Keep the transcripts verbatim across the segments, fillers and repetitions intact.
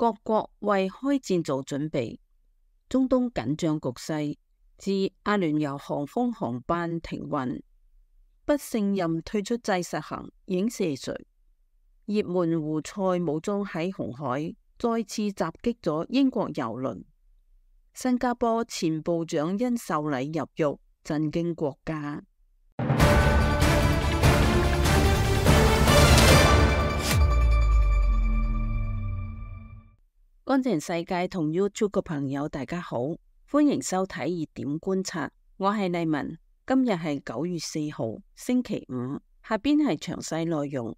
各國為開戰做準備。中東緊張局勢，自阿聯酋航空航班停運，不勝任退出制實行影射誰？也門胡塞武裝喺紅海再次襲擊咗英國郵輪。新加坡前部長因受禮入獄，震驚國家。乾淨世界同 YouTube 嘅朋友大家好，歡迎收睇熱點觀察，我係麗文。今日係九月四號星期五，下邊係詳細內容。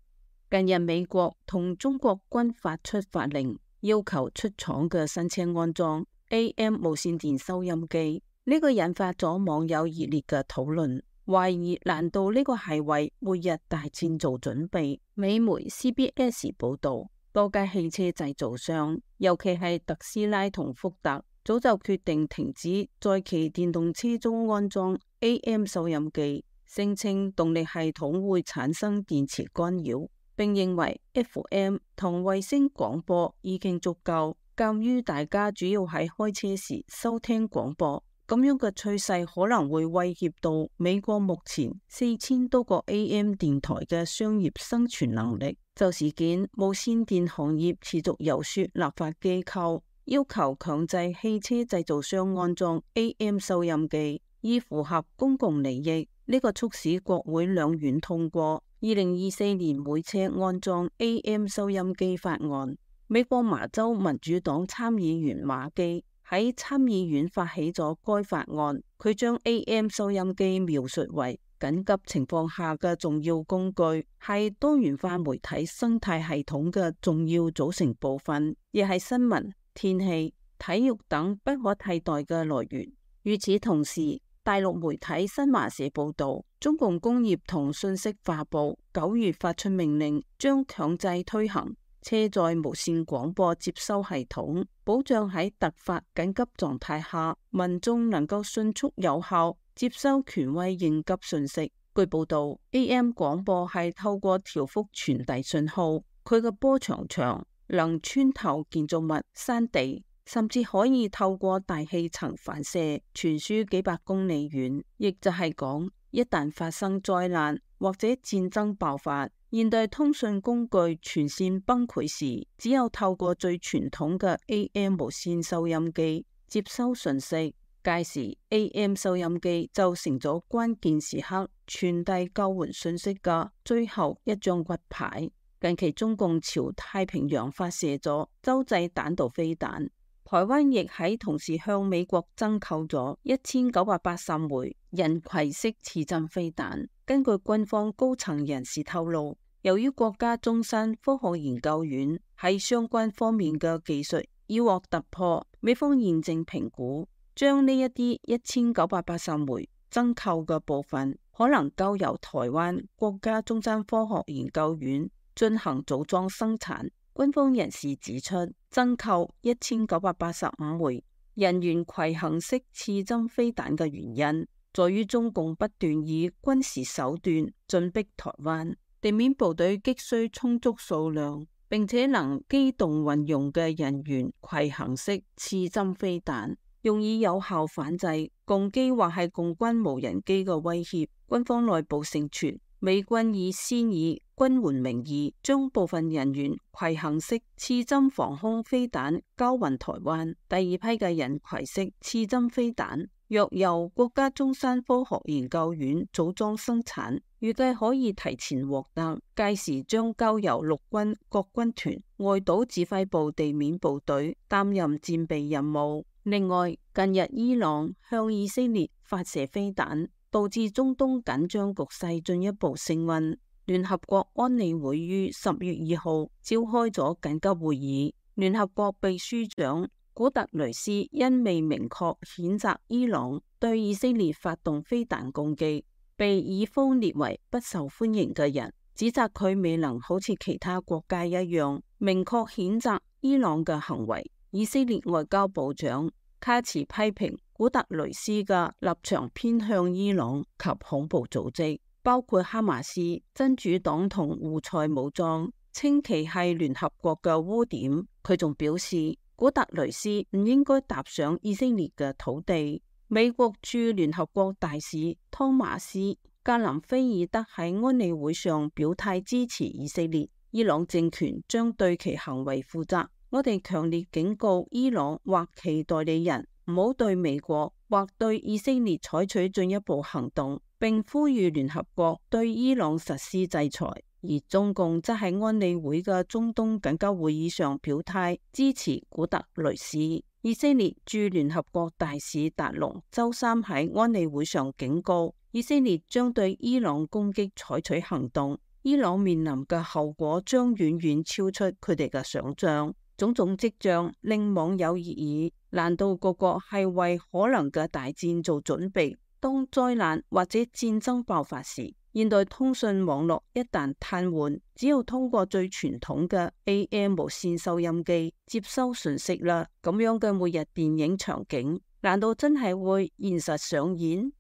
近日美國同中國均發出法令，要求出廠嘅新車安裝 A M 無線電收音機，呢個引發咗網友熱烈嘅討論，懷疑難道呢個係為末日大戰做準備？美媒 C B S 報道，多家汽車製造商，尤其係特斯拉同福特，早就決定停止在其電動車中安裝 A M 收音機，聲稱動力系統會產生電磁干擾，並認為 F M 同衛星廣播已經足夠，鑒於大家主要喺開車時收聽廣播，咁樣嘅趨勢可能會威脅到美國目前四千多個 A M 電台嘅商業生存能力。就事件，無線電行業持續遊說立法機構，要求強制汽車製造商安裝 A M 收音機，以符合公共利益。呢、這個促使國會兩院通過二零二四年每車安裝 A M 收音機法案。美國麻州民主黨參議員馬基喺參議院發起咗該法案，佢將 A M 收音機描述為緊急情況下嘅重要工具，係多元化媒體生態系統嘅重要組成部分，亦係新聞、天氣、體育等不可替代嘅來源。與此同時，大陸媒體新華社報道，中共工業同信息化部九月發出命令，將強制推行車載無線廣播接收系統，保障喺突發緊急狀態下，民眾能夠迅速有效接收權威應急訊息。據報道 ，A M 廣播係透過調幅傳遞信號，佢嘅波長長，能穿透建築物、山地，甚至可以透過大氣層反射傳輸幾百公里遠。亦就係講，一旦發生災難或者戰爭爆發，現代通訊工具全線崩潰時，只有透過最傳統嘅 A M 無線收音機接收訊息。屆時 A M 收音機就成咗關鍵時刻傳遞救援信息嘅最後一張骨牌。近期中共朝太平洋發射咗洲際彈道飛彈，台灣亦喺同時向美國增購咗一千九百八十枚人攜式刺針飛彈。根據軍方高層人士透露，由於國家中山科學研究院喺相關方面嘅技術已獲突破，美方現正評估，將呢一啲一千九百八十枚增購嘅部分，可能交由台灣國家中山科學研究院進行組裝生產。軍方人士指出，增購一千九百八十五枚人員攜行式刺針飛彈嘅原因，在於中共不斷以軍事手段進逼台灣，地面部隊急需充足數量並且能機動運用嘅人員攜行式刺針飛彈，用以有效反制共機或係共軍無人機嘅威脅。軍方內部盛傳，美軍已先以軍援名義將部分人員攜行式刺針防空飛彈交運台灣。第二批嘅人攜式刺針飛彈若由國家中山科學研究院組裝生產，預計可以提前獲得，屆時將交由陸軍各軍團外島指揮部地面部隊擔任戰備任務。另外，近日伊朗向以色列發射飛彈，導致中東緊張局勢進一步升溫。聯合國安理會於十月二號召開咗緊急會議，聯合國秘書長古特雷斯因未明確譴責伊朗對以色列發動飛彈攻擊，被以方列為不受歡迎嘅人，指責佢未能好似其他國家一樣明確譴責伊朗嘅行為。以色列外交部長卡茨批評古特雷斯嘅立場偏向伊朗及恐怖組織，包括哈馬斯、真主黨同胡塞武裝，稱其係聯合國嘅污點。佢仲表示，古特雷斯唔應該踏上以色列嘅土地。美國駐聯合國大使湯馬斯格林菲爾德喺安理會上表態支持以色列，伊朗政權將對其行為負責。我哋強烈警告伊朗或其代理人唔好對美國或對以色列採取進一步行動，並呼籲聯合國對伊朗實施制裁。而中共則喺安理會嘅中東緊急會議上表態支持古特雷斯。以色列駐聯合國大使達龍周三喺安理會上警告，以色列將對伊朗攻擊採取行動，伊朗面臨嘅後果將遠遠超出佢哋嘅想象。種種跡象令網友熱議，難道各國係為可能嘅大戰做準備？當災難或者戰爭爆發時，現代通訊網絡一旦癱瘓，只要通過最傳統嘅 A M 無線收音機接收訊息啦。咁樣嘅末日電影場景，難道真係會現實上演？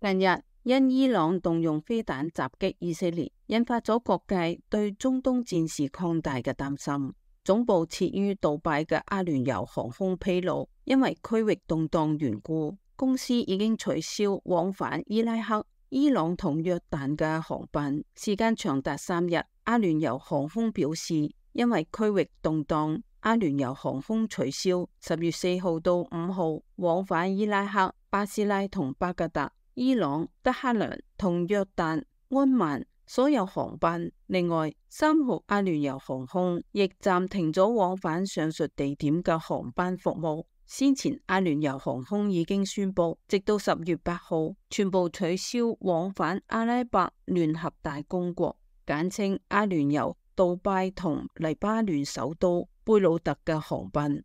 近日因伊朗動用飛彈襲擊以色列，引發咗各界對中東戰事擴大嘅擔心。總部設於杜拜嘅阿聯酋航空披露，因為區域動盪緣故，公司已經取消往返伊拉克、伊朗同約旦嘅航班，時間長達三日。阿聯酋航空表示，因為區域動盪，阿聯酋航空取消十月四號到五號往返伊拉克、巴斯拉同巴格達、伊朗、德黑蘭同約旦、安曼所有航班。另外，三號阿聯酋航空亦暫停咗往返上述地點嘅航班服務。先前阿聯酋航空已經宣布，直到十月八號全部取消往返阿拉伯聯合大公國，簡稱阿聯酋、杜拜同黎巴嫩首都貝魯特嘅航班。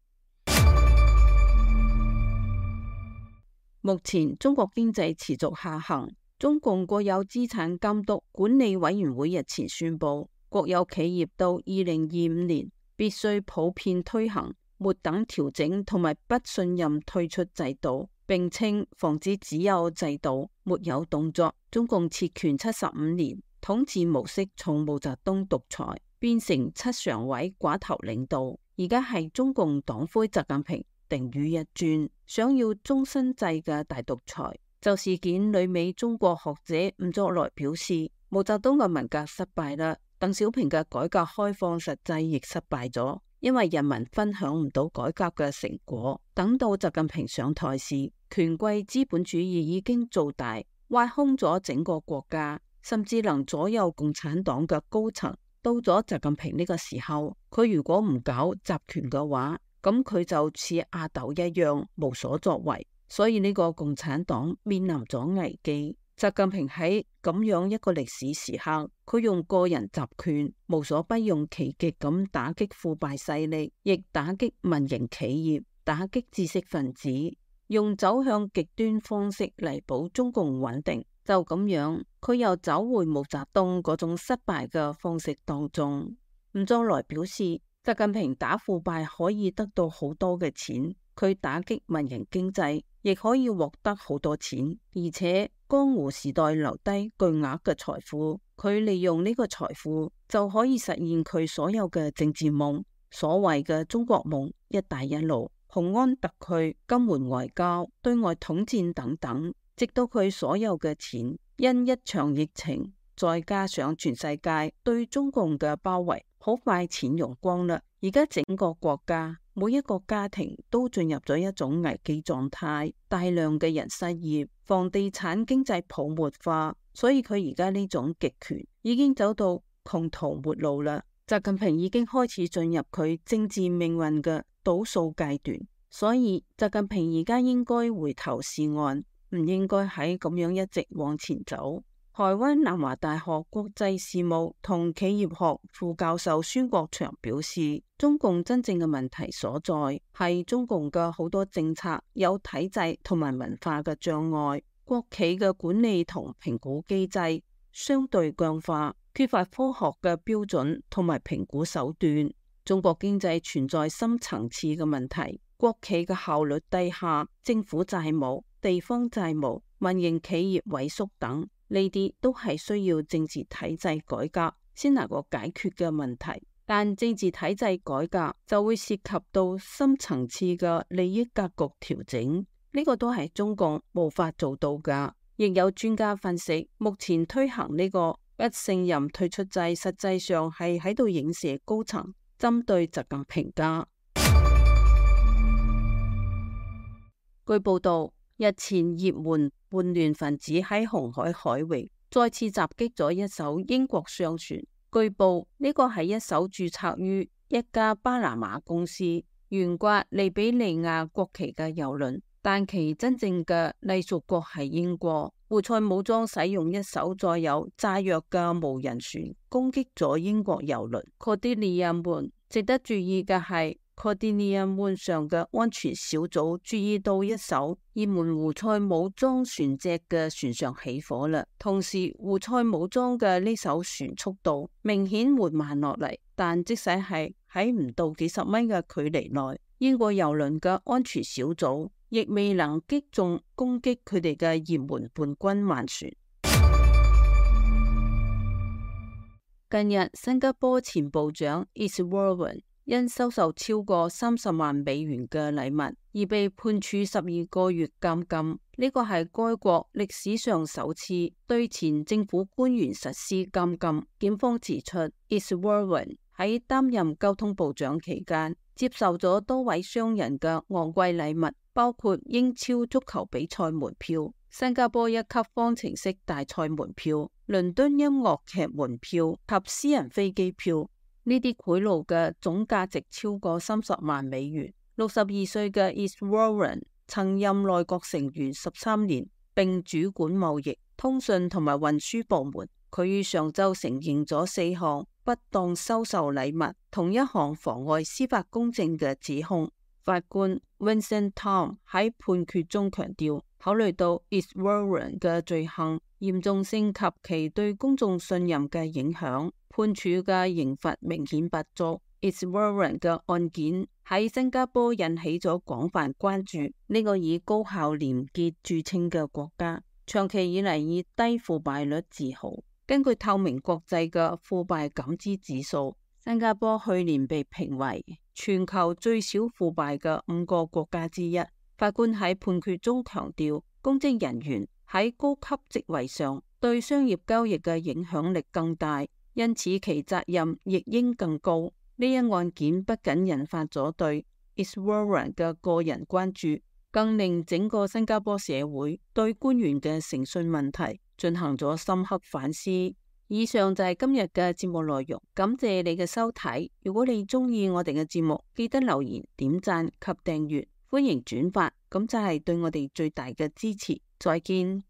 目前中國經濟持續下行，中共國有資產監督管理委員會日前宣布，國有企業到二零二五年必須普遍推行末等調整同埋不信任退出制度，並稱防止只有制度沒有動作。中共設權七十五年，統治模式從毛澤東獨裁變成七常委寡頭領導，而家係中共黨魁習近平定於一尊，想要終身制嘅大獨裁。就事件，旅美中國學者吳作來表示，毛澤東嘅文革失敗啦，鄧小平嘅改革開放實際亦失敗咗，因為人民分享唔到改革嘅成果。等到習近平上台時，權貴資本主義已經做大，挖空咗整個國家，甚至能左右共產黨嘅高層。到咗習近平呢個時候，佢如果唔搞集權嘅話，咁佢就似阿斗一樣無所作為，所以呢個共產黨面臨咗危機。習近平喺咁樣一個歷史時刻，佢用個人集權無所不用其極咁打擊腐敗勢力，亦打擊民營企業，打擊知識分子，用走向極端方式嚟保中共穩定。就咁樣，佢又走回毛澤東嗰種失敗嘅方式當中。吳作來表示，習近平打腐敗可以得到好多嘅錢，佢打擊民營經濟亦可以獲得好多錢，而且江湖時代留低巨額嘅財富，佢利用呢個財富就可以實現佢所有嘅政治夢，所謂嘅中國夢、一帶一路、雄安特區、金門外交、對外統戰等等，直到佢所有嘅錢因一場疫情，再加上全世界對中共嘅包圍，好快錢用光啦。而家整個國家每一個家庭都進入咗一種危機狀態，大量嘅人失業，房地產經濟泡沫化，所以佢而家呢種極權已經走到窮途末路啦。習近平已經開始進入佢政治命運嘅倒數階段，所以習近平而家應該回頭是岸，唔應該喺咁樣一直往前走。台灣南華大學國際事務同企業學副教授孫國祥表示，中共真正嘅問題所在係中共嘅好多政策有體制同埋文化嘅障礙，國企嘅管理同評估機制相對僵化，缺乏科學嘅標準同埋評估手段。中國經濟存在深層次嘅問題，國企嘅效率低下，政府債務、地方債務、民營企業萎縮等。呢啲都係需要政治體制改革先能夠解決嘅問題。但政治體制改革就會涉及到深層次嘅利益格局調整，呢個都係中共無法做到㗎。亦有專家分析，目前推行呢個不信任退出制，實際上係喺度影射高層針對習近平㗎。據報道，日前也門叛亂分子喺紅海海域再次襲擊咗一艘英國商船。據報呢個係一艘註冊於一家巴拿馬公司、懸掛利比里亞國旗嘅郵輪，但其真正嘅隸屬國係英國。胡塞武裝使用一艘載有炸藥嘅無人船攻擊咗英國郵輪 Cordelia Moon。值得注意嘅係Cordelia Moon上嘅安全小組注意到一艘也門胡塞武裝船隻嘅船上起火啦，同時胡塞武裝嘅呢艘船速度明顯緩慢落嚟，但即使係喺唔到幾十米嘅距離內，英國郵輪嘅安全小組亦未能擊中攻擊佢哋嘅也門叛軍艦船。近日，新加坡前部長 Iswaran因收受超過三十萬美元嘅禮物而被判處十二個月監禁，呢個係該國歷史上首次對前政府官員實施監禁。檢方指出 Iswaran 喺擔任交通部長期間接受咗多位商人嘅昂貴禮物，包括英超足球比賽門票、新加坡一級方程式大賽門票、倫敦音樂劇門票及私人飛機票。呢啲賄賂嘅總價值超過三十萬美元。六十二歲嘅 Iswaran 曾任內閣成員十三年，並主管貿易、通訊同埋運輸部門。佢於上週承認咗四項不當收受禮物同一項妨礙司法公正嘅指控。法官 Vincent Tom 喺判決中強調，考慮到 Iswaran 嘅罪行嚴重性及其對公眾信任嘅影響，判處嘅刑罰明顯不足。Iswaran 嘅案件喺新加坡引起咗廣泛關注。呢個以高效廉潔著稱嘅國家，長期以嚟以低腐敗率自豪。根據透明國際嘅腐敗感知指數，新加坡去年被評為全球最少腐敗嘅五個國家之一。法官喺判決中強調，公職人員喺高級職位上對商業交易嘅影響力更大，因此其責任亦應更高。呢一案件不僅引發咗對 Iswaran 嘅個人關注，更令整個新加坡社會對官員嘅誠信問題進行咗深刻反思。以上就係今日嘅節目內容，感謝你嘅收睇。如果你中意我哋嘅節目，記得留言、點讚及訂閱，歡迎轉發，咁就係對我哋最大嘅支持。再見。